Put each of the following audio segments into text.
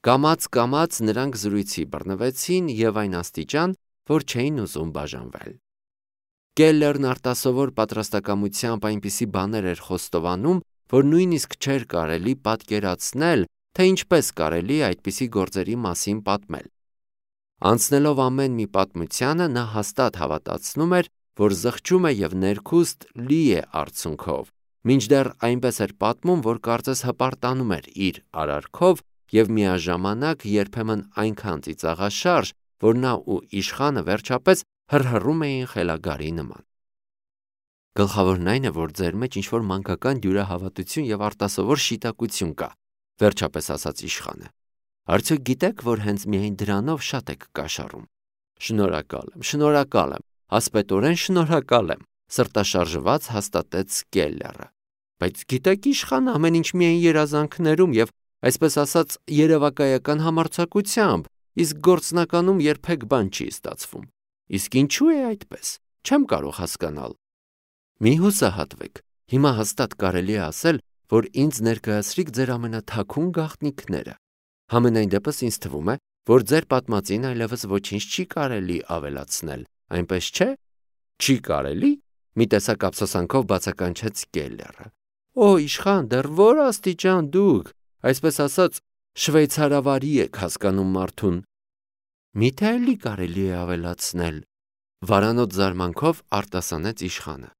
Կամաց նրանք զրույցի բռնվեցին եւ այն աստիճան, որ չէին ուզում բաժանվել։ Կելլերն արտասովոր պատրաստակամությամբ այնպիսի բաներ էր խոստովանում, որ նույնիսկ չէր կարելի պատկերացնել, թե ինչպես կարելի է այդպիսի գործերի մասին պատմել։ Անցնելով ամեն մի պատմությանը, նա հաստատ հավատացնում էր, որ զղջում է եւ ներքուստ լի է արցունքով, մինչդեռ այնպես էր պատմում, որ կարծես հպարտանում էր իր արարքով եւ միաժամանակ երբեմն այնքան ծիծաղաշարժ, որ նա ու իշխանը վերջապես հռհռում էին խելագարի նման։ Գլխավորն այն է, որ ձեր մեջ ինչ-որ մանկական դյուրահավատություն եւ արտասովոր շիտակություն կա, վերջապես ասաց իշխանը։ Արդյոք գիտեք, որ հենց միայն դրանով շատ եք կաշառում։ Շնորհակալ եմ, ասպետորեն շնորհակալ եմ, սրտաշարժված հաստատեց Կելլերը։ Բայց գիտեք, իշխան, ամեն ինչ միայն երազանքներում եւ այսպես ասած երևակայական համարձակությամբ, իսկ գործնականում երբեք բան չի ստացվում։ Իսկ ինչու է այդպես։ Չեմ կարող հասկանալ։ Մի հուսահատվեք, հիմա հաստատ կարելի է ասել, որ ինձ ներկայացրիք ձեր ամենաթաքուն գաղտնիքները։ Համենայն դեպս ինձ թվում է, որ ձեր պատմածին այլևս ոչինչ չի կարելի ավելացնել, այնպես չէ։ Չի կարելի։ Մի տեսակ ափսոսանքով բացականչեց Կելլերը։ Օ, իշխան, դեռ որ աստիճան դուք, այսպես ասած, շվեյցարավարի եք հասկանում մարդուն։ Միթե էլի կարելի է ավելացնել։ Վարանոտ զարմանքով արտասանեց իշխանը։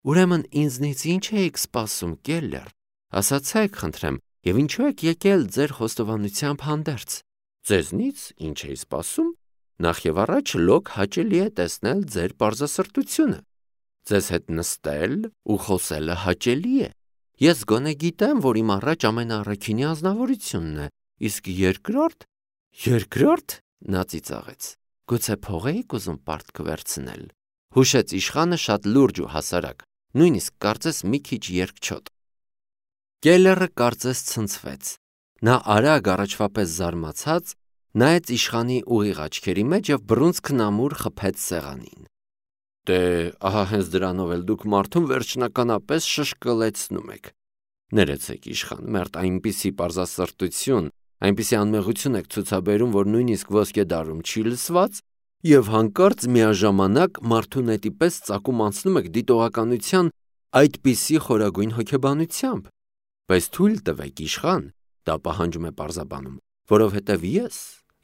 Ուրեմն ինձնից ինչ էիք սպասում, Կելլեր։ Ասացեք, խնդրեմ, եւ ինչու եք եկել ձեր խոստովանությամբ հանդերձ։ Ձեզնից ինչ էի սպասում։ Նախ եւ առաջ լոկ հաճելի է տեսնել ձեր պարզասրտությունը։ Ձեզ հետ նստել ու խոսելը հաճելի է։ Ես գոնե գիտեմ, որ իմ առաջ ամենաառաքինի ազնվորությունն է, իսկ երկրորդ նա ծիծաղեց։ Գուցե փող էիք ուզում պարտք վերցնել։ Հուշեց իշխանը շատ լուրջ ու հասարակ, նույնիսկ կարծես մի քիչ երկչոտ։ Կելլերը կարծես ցնցվեց։ Նա արագ առաջվա պես զարմացած նայեց իշխանի ուղիղ աչքերի մեջ եւ բռունցքն ամուր խփեց սեղանին։ Դե, ահա հենց դրանով էլ դուք մարդուն վերջնականապես շշկլեցնում եք։ Ներեցեք, իշխան, մերթ այնպիսի պարզասրտություն, այնպիսի անմեղություն եք ցուցաբերում, որ նույնիսկ ոսկե դարում չի լսված, եւ հանկարծ միաժամանակ մարդու նետի պես ծակում անցնում եք դիտողականության այդպիսի խորագույն հոգեբանությամբ։ Բայց թույլ տվեք, իշխան, դա պահանջում է պարզաբանում, որովհետև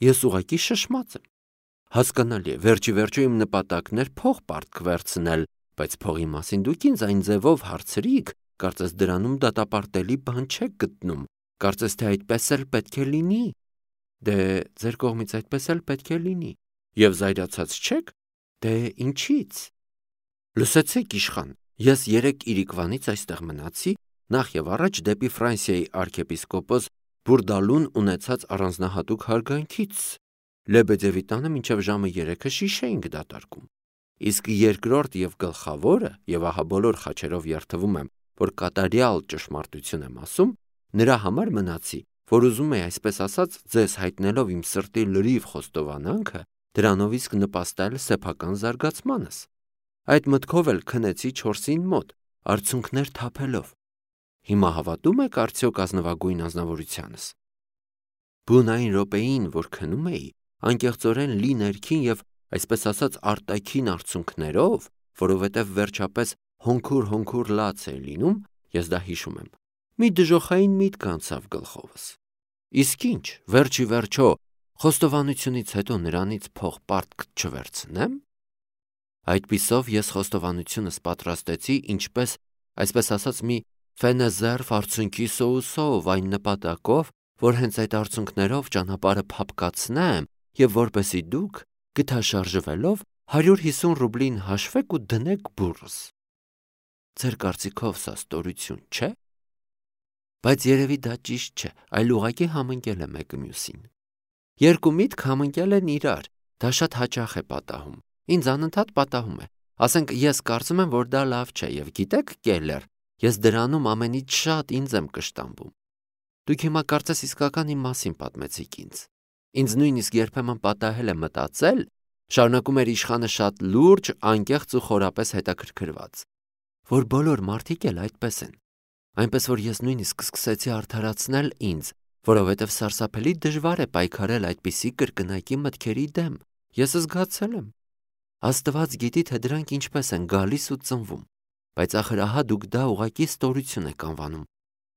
ես ուղղակի շշմած եմ։ Հասկանալի է, վերջի իմ նպատակն էր փող պարտք վերցնել, բայց փողի մասին դուք ինձ այն ձևով հարցրիք, կարծես դրանում դատապարտելի բան չեք գտնում, կարծես թե այդպես էլ պետք է լինի։ Դե, ձեր կողմից այդպես էլ պետք է լինի։ Եվ զայրացած չեք։ Դե, ինչի՞ց։ Լսեցեք, իշխան, ես 3 իրիկվանից այստեղ մնացի, նախ եւ առաջ դեպի Ֆրանսիայի արքեպիսկոպոս Բուրդալուն ունեցած առանձնահատուկ հարգանքից։ Լեբեդևի տանը մինչև ժամը 3-ը շիշ էինք դատարկում։ Իսկ երկրորդ եւ գլխավորը, եւ ահա բոլոր խաչերով երթվում եմ, որ կատարյալ ճշմարտություն եմ ասում, նրա համար մնացի, որ ուզում էի, այսպես ասած, ձեզ հայտնելով իմ սրտի լրիվ խոստովանանքը, դրանով իսկ նպաստել սեփական զարգացմանս։ Այդ մտքով էլ քնեցի 4-ին մոտ, արցունքներ թափելով։ Հիմա հավատում եք արդյոք ազնվագույն ազնվորությանս։ Բուն այն րոպեին, որ քնում էի, անկեղծորեն լի ներքին եւ այսպես ասած արտաքին արցունքներով, որովհետեւ վերջապես հոնքուր լաց է լինում, ես դա հիշում եմ։ Մի դժոխային միտք անցավ գլխովս։ Իսկ ինչ, վերջի վերջո, խոստովանությունից հետո նրանից փող պարտք չվերցնեմ։ Այդպիսով ես խոստովանությունս պատրաստեցի ինչպես, այսպես ասած, մի ֆենեզերվ արցունքի սոուսով այն նպատակով, որ հենց այդ արցունքներով ճանապարհը փափկացնեմ եւ որպեսի դուք գթաշարժվելով 150 ռուբլին հաշվեք ու դնեք բուրս։ Ձեր կարծիքով սա ստորություն չէ։ Բայց երևի դա ճիշտ չէ, այլ ուղղակի համընկել է մեկը մյուսին։ Երկու միտք համընկել են իրար, դա շատ հաճախ է պատահում։ Ինձ անընդհատ պատահում է։ Ասենք ես կարծում եմ, որ դա լավ չէ եւ գիտեք, Կելլեր, ես դրանում ամենից շատ ինձ եմ կշտամբում։ Դուք հիմա կարծես իսկական իմ մասին պատմեցիք ինձ։ Ինձ նույնիսկ երբեմն պատահել է մտածել, շարունակում էր իշխանը շատ լուրջ, անկեղծ ու խորապես հետաքրքրված, որ բոլոր մարդիկ էլ այդպես են։ Այնպես որ ես նույնիսկ սկսեցի արդարացնել ինձ, որովհետև սարսափելի դժվար է պայքարել այդպիսի կրկնակի մտքերի դեմ։ Ես զգացել եմ։ Աստված գիտի, թե դրանք ինչպես են գալիս ու ծնվում, բայց ախր ահա դուք դա ուղղակի ստորություն եք անվանում։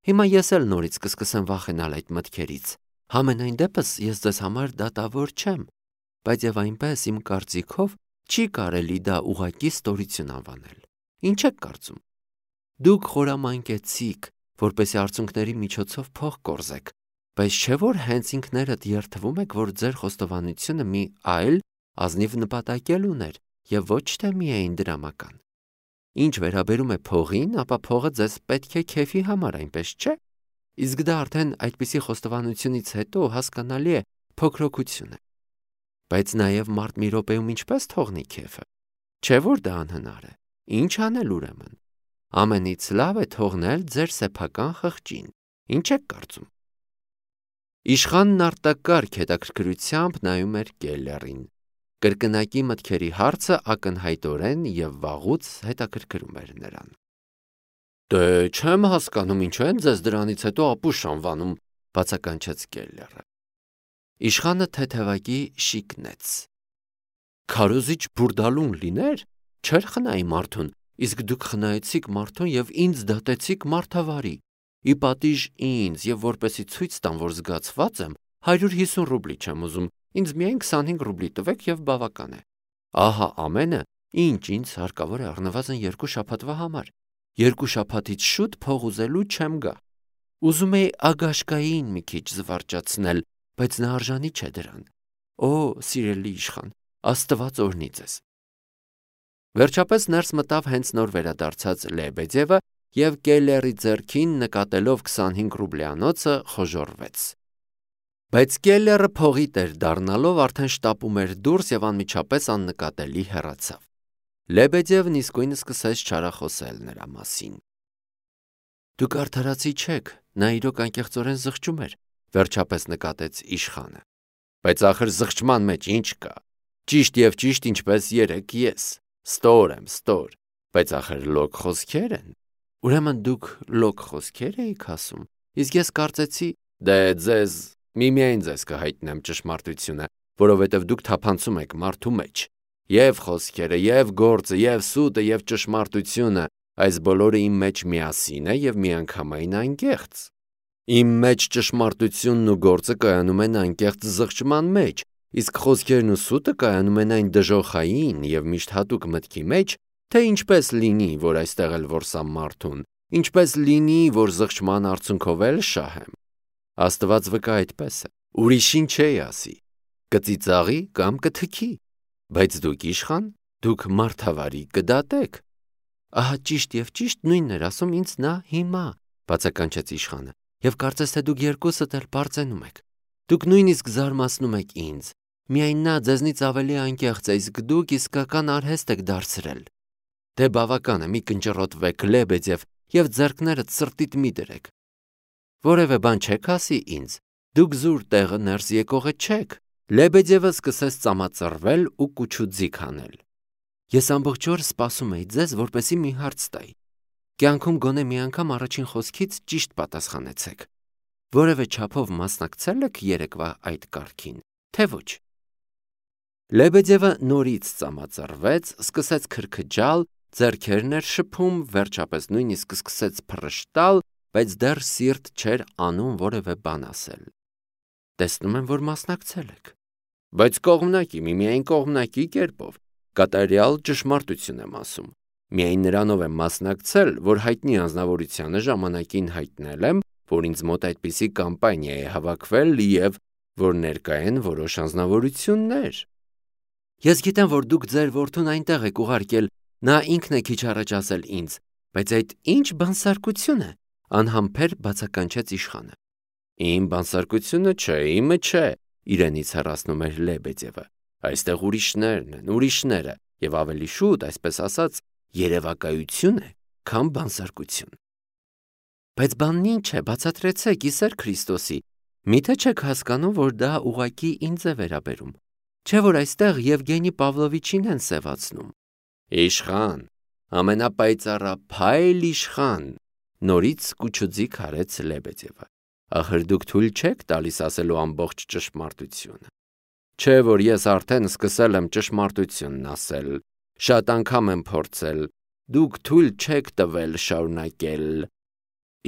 Հիմա ես էլ նորից կսկսեմ վախենալ այդ մտքերից։ Համենայն դեպս ես ձեզ համար դատավոր չեմ, բայց եւ այնպես իմ կարծիքով չի կարելի դա ուղղակի ստորություն անվանել։ Ինչ եք կարծում։ Դուք խորամանկեցիք, որպեսզի արցունքների միջոցով փող կորզեք, բայց չէ՞ որ հենց ինքներդ երդվում եք, որ ձեր խոստովանությունը մի այլ ազնիվ նպատակել ուներ եւ ոչ թե միայն դրամական։ Ինչ վերաբերում է փողին, ապա փողը ձեզ պետք է քեֆի համար, այնպես չէ։ Իսկ դա արդեն այդպիսի խոստովանությունից հետո հասկանալի է փոքրոքություն է։ Բայց նաեւ մարդ մի րոպեում ինչպես թողնի քեֆը։ Չէ՞ որ դա անհնար է։ Ինչ անել ուրեմն։ Ամենից լավ է թողնել ձեր սեփական խղճին։ Ինչ եք կարծում։ Իշխանն արտակարգ հետաքրքրությամբ նայում էր Կելլերին։ Կրկնակի մտքերի հարցը ակնհայտորեն եւ վաղուց հետաքրքրում էր նրան։ Դե չեմ հասկանում ինչու են ձեզ դրանից հետո ապուշ անվանում, բացականչեց Կելլերը։ Իշխանը թեթևակի շիկնեց։ Քարոզիչ բուրդալուն լիներ, չէր խնայի մարդուն, իսկ դուք խնայեցիք մարդուն եւ ինձ դատեցիք մարդավարի։ Ի պատիժ ինձ եւ որպեսի ցույց տամ, որ զգացված եմ, 150 ռուբլի չեմ ուզում, ինձ միայն 25 ռուբլի տվեք եւ բավական է։ Ահա ամենը, ինչ ինձ հարկավոր է առնվազն 2 շաբաթվա համար։ 2 շաբաթից շուտ փող ուզելու չեմ գա։ Ուզում էի ագաշկային մի քիչ զվարճացնել, բայց նա արժանի չէ դրան։ Օ, սիրելի իշխան, Աստված օրհնի ձեզ։ Վերջապես ներս մտավ հենց նոր վերադարձած Լեբեդևը եւ Կելլերի ձեռքին նկատելով 25 ռուբլյանոցը խոժոռվեց։ Բայց Կելլերը փողի տեր դառնալով արդեն շտապում էր դուրս եւ անմիջապես աննկատելի հեռացավ։ Լեբեդևն իսկույն սկսեց չարախոսել նրա մասին։ Դուք արդարացի չեք, նա իրոք անկեղծորեն զղջում էր, վերջապես նկատեց իշխանը։ Բայց ախր զղջման մեջ ինչ կա։ Ճիշտ եւ ճիշտ ինչպես երեք ես։ Ստոր եմ, ստոր, բայց ախր լոկ խոսքեր են։ Ուրեմն դուք լոկ խոսքեր էիք ասում։ Իսկ ես կարծեցի, դե ձեզ միմիայն ձեզ կհայտնեմ ճշմարտությունը, որովհետև դուք թափանցում եք մարդու մեջ։ Եվ խոսքերը, եւ գործը, եւ սուտը, եւ ճշմարտությունը, այս բոլորը իմ մեջ միասին է եւ միանգամայն անկեղծ։ Իմ մեջ ճշմարտությունն ու գործը կայանում են անկեղծ զղջման մեջ, իսկ խոսքերն ու սուտը կայանում են այն դժոխային եւ միշտ հատուկ մտքի մեջ, թե ինչպես լինի, որ այստեղ էլ որսամ մարդուն, ինչպես լինի, որ զղջման արդյունքով էլ շահեմ։ Աստված վկա այդպես է, ուրիշին չի ասի, կծիծաղի կամ կթքի, բայց դուք իշխան, դուք մարդավարի կդատեք։ Ահա ճիշտ եւ ճիշտ նույնն էր ասում ինձ նա հիմա, բացականչեց իշխանը, եւ կարծես թե դուք երկուսդ էլ բարձենում եք։ Դուք նույնիսկ զարմացնում եք ինձ, միայն նա ձեզնից ավելի անկեղծ է, իսկ դուք իսկական արհեստ եք դարձրել։ Դե բավական է, մի կնճռոտվեք Լեբեդև եւ ձեռքներդ սրտիդ մի դրեք։ Որևէ բան չեք ասի ինձ, դուք զուր տեղը ներս եկողը չեք։ Լեբեդևը սկսեց ծամածռվել ու կուչուձիգ անել։ Ես ամբողջ օր սպասում էի ձեզ, որպեսզի մի հարց տայի։ Կյանքում գոնե մի անգամ առաջին խոսքից ճիշտ պատասխանեցեք։ Որևէ չափով մասնակցել եք երեկվա այդ կարգին, թե ոչ։ Լեբեդևը նորից ծամածռվեց, սկսեց քրքջալ, ձեռքերն էր շփում, վերջապես նույնիսկ սկսեց փռշտալ, բայց դեռ սիրտ չէր անում որևէ բան ասել։ Տեսնում եմ, որ մասնակցել եք։ Բայց կողմնակի, միայն կողմնակի կերպով, կատարյալ ճշմարտություն եմ ասում։ Միայն նրանով եմ մասնակցել, որ հայտնի անձնավորությանը ժամանակին հայտնել եմ, որ ինձ մոտ այդպիսի կամպանիա է հավաքվել եւ որ ներկա են որոշ անձնավորություններ։ Ես գիտեմ, որ դուք ձեր որդուն այնտեղ եք ուղարկել, նա ինքն է քիչ առաջ ասել ինձ, բայց այդ ինչ բանսարկություն է, անհամբեր բացականչեց իշխանը։ Իմ բանսարկությունը չէ, իմը չէ, իրենից հեռացնում էր Լեբեդևը։ Այստեղ ուրիշներն են, ուրիշները, եւ ավելի շուտ, այսպես ասած, երևակայություն է, քան բանսարկություն։ Բայց բանն ինչ է, բացատրեցեք, Իսեր Քրիստոսի, միթե չեք հասկանում, որ դա ուղղակի ինձ է վերաբերում։ Չէ՞ որ այստեղ Եվգենի Պավլովիչին են սևացնում։ Իշխան, ամենապայծառափայլ իշխան, նորից կուչուձիգ արեց Լեբեդևը։ Ախր դուք թույլ չեք տալիս ասելու ամբողջ ճշմարտությունը։ Չէ, որ ես արդեն սկսել եմ ճշմարտությունն ասել, շատ անգամ եմ փորձել, դուք թույլ չեք տվել շարունակել։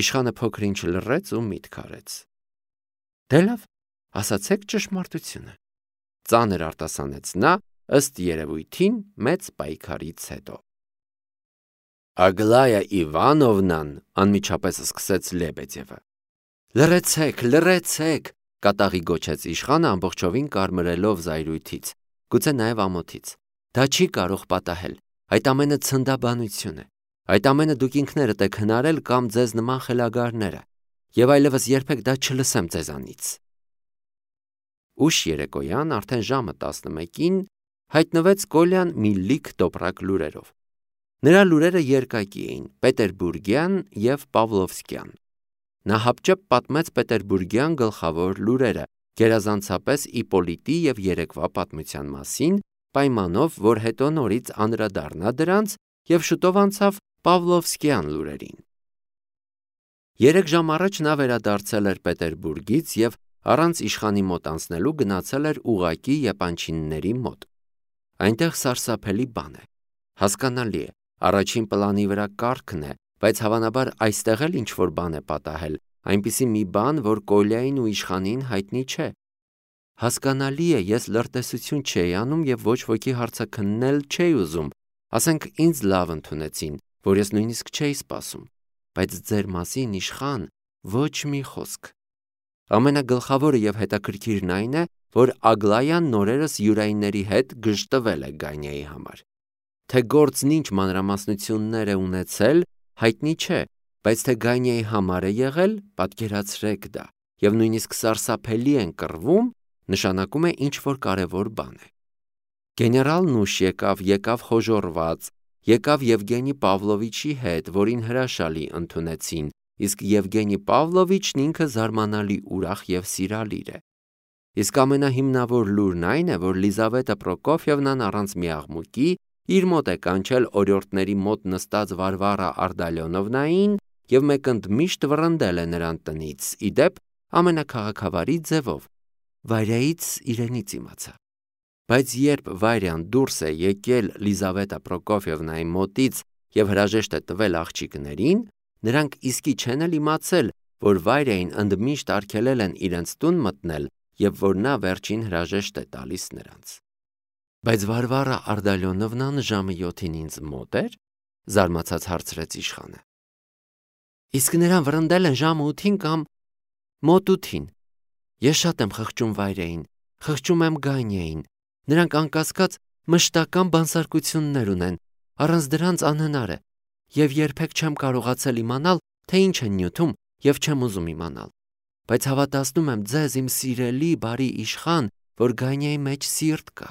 Իշխանը փոքր-ինչ լռեց ու միտք արեց։ Դե լավ, ասացեք ճշմարտությունը, ծանր արտասանեց նա, ըստ երևույթին մեծ պայքարից հետո։ Ագլայա Իվանովնան անմիջապես սկսեց Լեբեդևը։ Լռեցեք, կատաղի գոչեց իշխանը ամբողջովին կարմրելով զայրույթից, գուցե նաև ամոթից։ Դա չի կարող պատահել, այդ ամենը ցնդաբանություն է, այդ ամենը դուք ինքներդ եք հնարել կամ ձեզ նման խելագարները, եւ այլևս երբեք դա չլսեմ ձեզանից։ Ուշ երեկոյան, արդեն ժամը 11-ին, հայտնվեց Կոլյան մի լիք տոպրակ լուրերով։ Նրա լուրերը երկակի էին, պետերբուրգյան եւ պավլովսկյան։ Նա հապճեպ պատմեց պետերբուրգյան գլխավոր լուրերը, գերազանցապես Իպոլիտի եւ երեկվա պատմության մասին, պայմանով, որ հետո նորից անդրադառնա դրանց եւ շուտով անցավ պավլովսկյան լուրերին։ 3 ժամ առաջ նա վերադարձել էր Պետերբուրգից եւ առանց իշխանի մոտ անցնելու գնացել էր ուղակի եպանչինների մոտ։ Այնտեղ սարսափելի բան է։ Հասկանալի է, առաջին պլանի վրա կարգն է, բայց հավանաբար այստեղ էլ ինչ-որ բան է պատահել, այնպիսի մի բան, որ Կոլյային ու իշխանին հայտնի չէ։ Հասկանալի է, ես լրտեսություն չէի անում եւ ոչ ոքի հարցաքննել չէի ուզում, ասենք ինձ լավ ընդունեցին, որ ես նույնիսկ չէի սպասում, բայց ձեր մասին իշխան ոչ մի խոսք։ Ամենագլխավորը եւ հետաքրքիրն այն է, որ Ագլայան նորերս յուրայինների հետ գժտվել է Գանյայի համար։ Թե գործն ինչ մանրամասնություններ է ունեցել, հայտնի չէ, բայց թե Գանյայի համար է եղել, պատկերացրեք դա, եւ նույնիսկ սարսափելի են կռվում, նշանակում է ինչ-որ կարևոր բան է։ Գեներալն ուշ եկավ խոժոռված, եկավ Եվգենի Պավլովիչի հետ, որին հրաշալի ընդունեցին, իսկ Եվգենի Պավլովիչն ինքը զարմանալի ուրախ եւ սիրալիր է։ Իսկ ամենահիմնավոր լուրն այն է, որ Լիզավետա Պրոկոֆյևնան առանց մի աղմուկի իր մոտ է կանչել օրիորդների մոտ նստած Վարվարա Արդալյոնովնային եւ մեկընդմիշտ վռնդել է նրան տնից, իդեպ ամենաքաղաքավարի ձևով, Վարյայից իրենից իմացա։ Բայց երբ Վարյան դուրս է եկել Լիզավետա Պրոկոֆյևնայի մոտից եւ հրաժեշտ է տվել աղջիկներին, նրանք իսկի չեն էլ իմացել, որ Վարյային ընդմիշտ արգելել են իրենց տուն մտնել եւ որ նա վերջին հրաժեշտ է տալիս նրանց։ Բայց Վարվարա Արդալյոնովնան ժամը 7-ին ինձ մոտ էր, զարմացած հարցրեց իշխանը։ Իսկ նրան վռնդել են ժամը 8-ին կամ մոտ 8-ին։ Ես շատ եմ խղճում Վարյային, խղճում եմ Գանյային, նրանք անկասկած մշտական բանսարկություններ ունեն, առանց դրանց անհնար է, եւ երբեք չեմ կարողացել իմանալ, թե ինչ են նյութում եւ չեմ ուզում իմանալ, բայց հավատացնում եմ ձեզ իմ սիրելի բարի իշխան, որ Գանյայի մեջ սիրտ կա։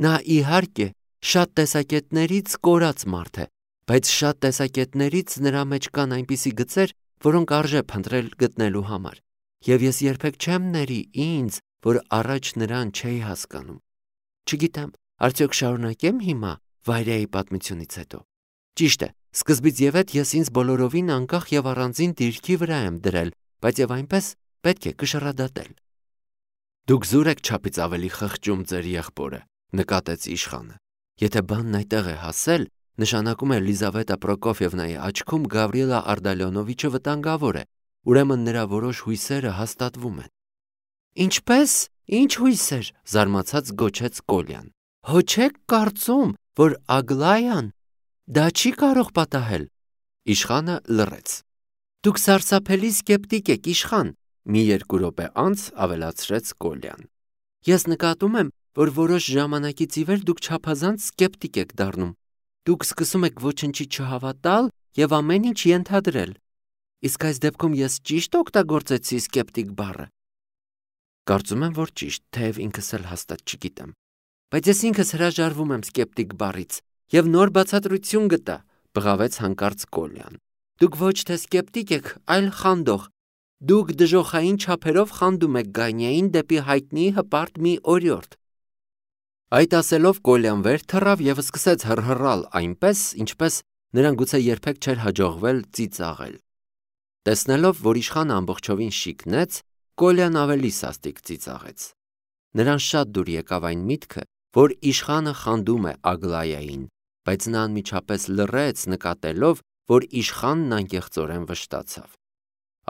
Նա իհարկե շատ տեսակետներից կորած մարդ է, բայց շատ տեսակետներից նրա մեջ կան այնպիսի գծեր, որոնք արժե փնտրել գտնելու համար, եւ ես երբեք չեմ ների ինձ, որ առաջ նրան չէի հասկանում։ Չգիտեմ, արդյոք շարունակեմ հիմա Վարյայի պատմությունից հետո։ Ճիշտ է, սկզբից եւ հետ ես ինձ բոլորովին անկախ եւ առանձին դիրքի վրա եմ դրել, բայց եւ այնպես պետք է կշռադատել։ Դուք զուր եք չափից ավելի խղճում ձեր եղբորը, նկատեց իշխանը։ Եթե բանն այդտեղ է հասել, նշանակում է Լիզավետա Պրոկոֆյևնայի աչքում Գավրիելա Արդալյոնովիչը վտանգավոր է, ուրեմն նրա որոշ հույսերը հաստատվում են։ Ինչպես, ինչ հույսեր, զարմացած գոչեց Կոլյան։ Հո չեք կարծում, որ Ագլայան դա չի կարող պատահել։ Իշխանը լռեց։ Դուք սարսափելի սկեպտիկ եք, իշխան, մի 2 րոպե անց ավելացրեց Կոլյան։ Ես նկատում եմ, որ որոշ ժամանակից ի վեր դուք չափազանց սկեպտիկ եք դառնում։ Դուք սկսում եք ոչնչի չհավատալ եւ ամեն ինչ ենթադրել։ Իսկ այս դեպքում ես ճիշտ օգտագործեցի սկեպտիկ բառը։ Կարծում եմ, որ ճիշտ, թեև ինքս էլ հաստատ չգիտեմ։ Բայց ես ինքս հրաժարվում եմ սկեպտիկ բառից եւ նոր բացատրություն գտա, բղավեց հանկարծ Կոլյան։ Դուք ոչ թե սկեպտիկ եք, այլ խանդող։ Դուք դժոխային չափերով խանդում եք Գանյային դեպի հայտնի հպարտ մի օրիորդ։ Այդ ասելով Կոլյան վեր թռավ եւ սկսեց հռհռալ այնպես, ինչպես նրան գուցե երբեք չէր հաջողվել ծիծաղել։ Տեսնելով, որ իշխանը ամբողջովին շիկնեց, Կոլյան ավելի սաստիկ ծիծաղեց։ Նրան շատ դուր եկավ այն միտքը, որ իշխանը խանդում է Ագլայային, բայց նա անմիջապես լռեց, նկատելով, որ իշխանն անկեղծորեն վշտացավ։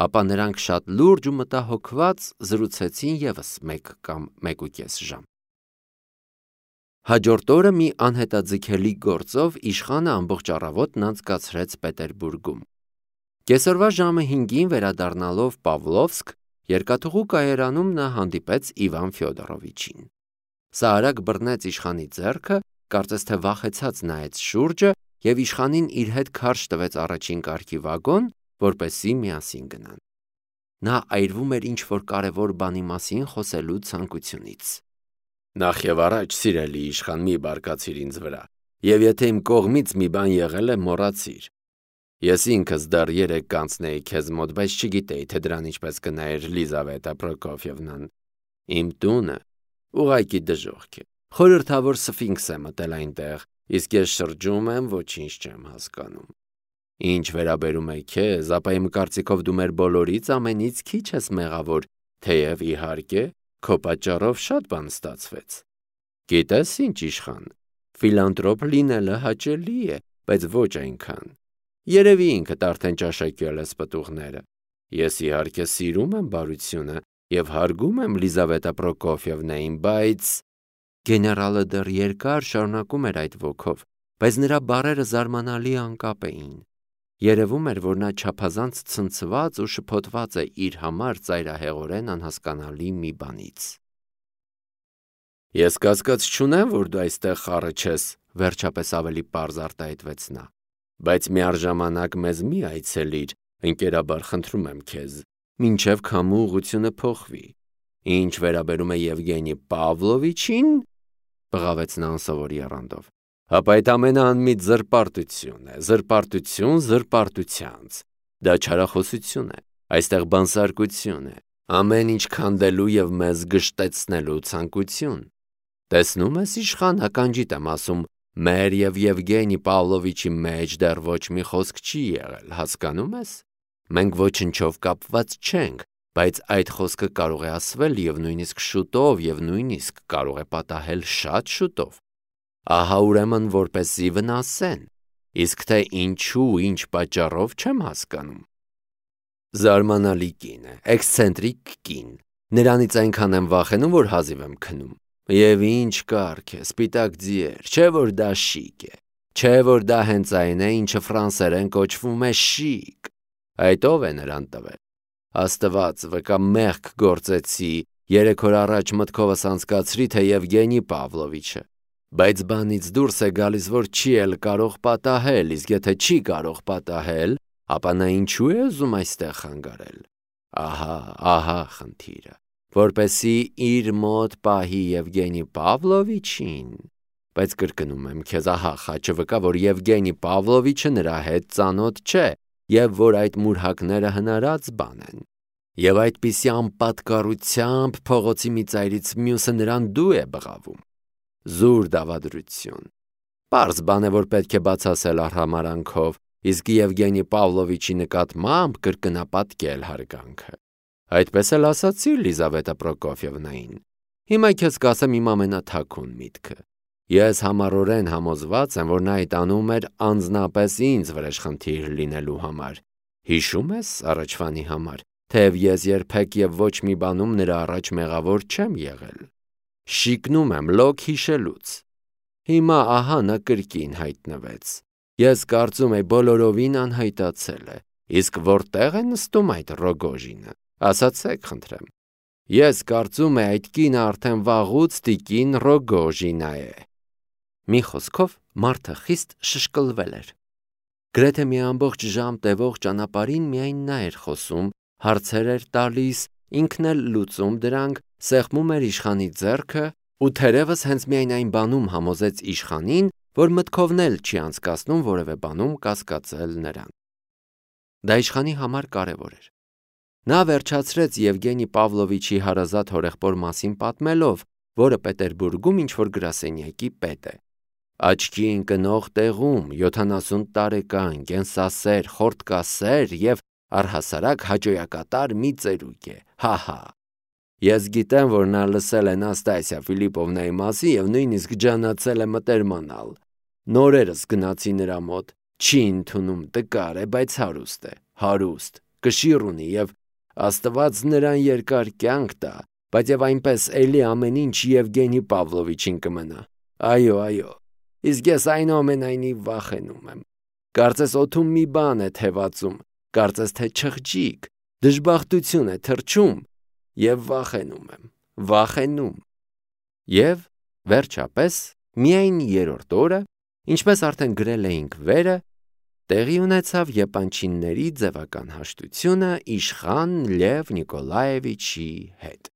Ապա նրանք շատ լուրջ ու մտահոգված զրուցեցին ևս 1 կամ 1.5 ժամ։ Հաջորդ օրը մի անհետաձգելի գործով իշխանը ամբողջ առավոտն անցկացրեց Պետերբուրգում։ Կեսօրվա ժամը 5-ին վերադառնալով Պավլովսկ, երկաթուղու կայարանում նա հանդիպեց Իվան Ֆյոդորովիչին։ Սա արագ բռնեց իշխանի ձեռքը, կարծես թե վախեցած նայեց շուրջը և իշխանին իր հետ քարշ տվեց առաջին կարգի վագոն, որպեսզի միասին գնան։ Նա այրվում էր ինչ-որ կարևոր բանի մասին խոսելու ցանկությունից։ Նախ եւ առաջ, սիրելի իշխան, մի բարկացիր ինձ վրա, եւ եթե իմ կողմից մի բան եղել է, մոռացիր։ Ես ինքս դեռ 3 կանցնեի քեզ մոտ, բայց չգիտեի, թե դրան ինչպես կնայեր Լիզավետա Պրոկոֆիևնան։ Իմ տունը ուղղակի դժոխք է։ Խորհրդավոր սֆինքս է մտել այնտեղ, իսկ ես շրջում եմ, ոչինչ չեմ հասկանում։ Ինչ վերաբերում է քեզ, ապա իմ կարծիքով դու մեր բոլորից ամենից քիչ ես մեղավոր, թեև իհարկե քո պատճառով շատ բան ստացվեց։ Գիտես ինչ, իշխան, ֆիլանտրոպ լինելը հաճելի է, բայց ոչ այնքան։ Երևի ինքդ արդեն ճաշակել ես պտուղները։ Ես իհարկե սիրում եմ բարությունը եւ հարգում եմ Լիզավետա Պրոկոֆիևնային, բայց… Գեներալը դեռ երկար շարունակում էր այդ ոգով, բայց նրա բառերը զարմանալի անկապ էին։ Երևում էր, որ նա չափազանց ցնցված ու շփոթված է իր համար ծայրահեղորեն անհասկանալի մի բանից։ Ես կասկած չունեմ, որ դու այստեղ խառը չես, վերջապես ավելի պարզ արտահայտվեց նա։ Բայց միառժամանակ մեզ մի այցելիր, ընկերաբար խնդրում եմ քեզ, մինչև քամու ուղղությունը փոխվի։ Ինչ վերաբերում է Եվգենի Պավլովիչին, բղավեց նա անսովոր եռանդով, ապա այդ ամենը անմիտ զրպարտություն է, զրպարտություն զրպարտությանց։ Դա չարախոսություն է, այստեղ բանսարկություն է, ամեն ինչ քանդելու եւ մեզ գժտեցնելու ցանկություն։ Տեսնում ես, իշխան, ականջիդ եմ ասում, մեր եւ Եվգենի Պավլովիչի մեջ դեռ ոչ մի խոսք չի եղել, հասկանում ես։ Մենք ոչնչով կապված չենք, բայց այդ խոսքը կարող է ասվել եւ նույնիսկ շուտով եւ նույնիսկ կարող է պատահել շատ շուտով։ Ահա ուրեմն որպեսզի վնասեն, իսկ թե ինչու, ինչ պատճառով չեմ հասկանում։ Զարմանալի կին է, էքսցենտրիկ կին։ Նրանից այնքան եմ վախենում, որ հազիվ եմ քնում։ Եվ ինչ կարգ է, սպիտակ ձիեր, չէ որ դա շիկ է, չէ որ դա հենց այն է, ինչը ֆրանսերեն կոչվում է շիկ։ Այդ ով է նրան տվել։ Աստված, վկա մեղք գործեցի, 3 օր առաջ մտքովս անցկացրի, թե Եվգենի Պավլովիչը, բայց բանից դուրս է գալիս, որ չի էլ կարող պատահել, իսկ եթե չի կարող պատահել, ապա նա ինչու է ուզում այստեղ խանգարել։ Ահա խնդիրը, որպեսի իր մոտ պահի Եվգենի Պավլովիչին, բայց կրկնում եմ քեզ, ահա խաչը վկա, որ Եվգենի Պավլովիչը նրա հետ ծանոթ չէ եւ որ այդ մուրհակները հնարած բան են։ Եվ այդպիսի անպատկառությամբ փողոցի մի ծայրից մյուսը նրան դու է բղավում։ Զուր դավադրություն։ Պարզ բան է, որ պետք է բացասել արհամարանքով, իսկ Եվգենի Պավլովիչի նկատմամբ կրկնապատկել հարգանքը։ Այդպես էլ ասացի Լիզավետա Պրոկոֆիևնային։ Հիմա քեզ կասեմ իմ ամենաթաքուն միտքը։ Ես համառորեն համոզված եմ, որ նա այդ անում էր անձնապես ինձ վրեժխնդիր լինելու համար։ Հիշում ես առաջվանի համար, թեև ես երբեք եւ ոչ մի բանում նրա առաջ մեղավոր չեմ եղել։ Շիկնում եմ լոկ հիշելուց։ Հիմա ահա նա կրկին հայտնվեց։ Ես կարծում եմ բոլորովին անհայտացել է, իսկ որտեղ է նստում այդ Ռոգոժինը, ասացեք խնդրեմ։ Ես կարծում եմ այդ կինը արդեն վաղուց տիկին Ռոգոժինա է։ Մի խոսքով մարդը խիստ շշկլվել էր։ Գրեթե մի ամբողջ ժամ տևող ճանապարհին միայն նա էր խոսում, հարցեր էր տալիս, ինքն էլ լուծում դրանք, սեղմում էր իշխանի ձեռքը ու թերևս հենց միայն այն բանում համոզեց իշխանին, որ մտքովն էլ չի անցկացնում որևէ բանում կասկածել նրան։ Դա իշխանի համար կարևոր էր։ Նա վերջացրեց Եվգենի Պավլովիչի հարազատ հորեղբոր մասին պատմելով, որը Պետերբուրգում ինչ-որ գրասենյակի պետ է։ Աչքի ընկնող տեղում 70 տարեկան, կենսասեր, խորտկասեր եւ Առհասարակ հաճոյակատար մի ծերուկ է, հա։ Ես գիտեմ, որ նա լսել է Նաստասիա Ֆիլիպովնայի մասին և նույնիսկ ջանացել է մտերմանալ։ Նորերս գնացի նրա մոտ, չի ընդունում, տկար է, բայց հարուստ, կշիռ ունի և Աստված նրան երկար կյանք տա, բայց և այնպես էլի ամեն ինչ Եվգենի Պավլովիչին կմնա։ Այո, իսկ ես այնուամենայնիվ վախենում եմ։ Կարծես օդում մի բան է թևածում, կարծես թե չղջիկ, դժբախտություն է թռչում և վախենում։ Եվ վերջապես, միայն երրորդ օրը, ինչպես արդեն գրել էինք վերը, տեղի ունեցավ եպանչինների ձևական հաշտությունը իշխան Լև Նիկոլաևիչի հետ։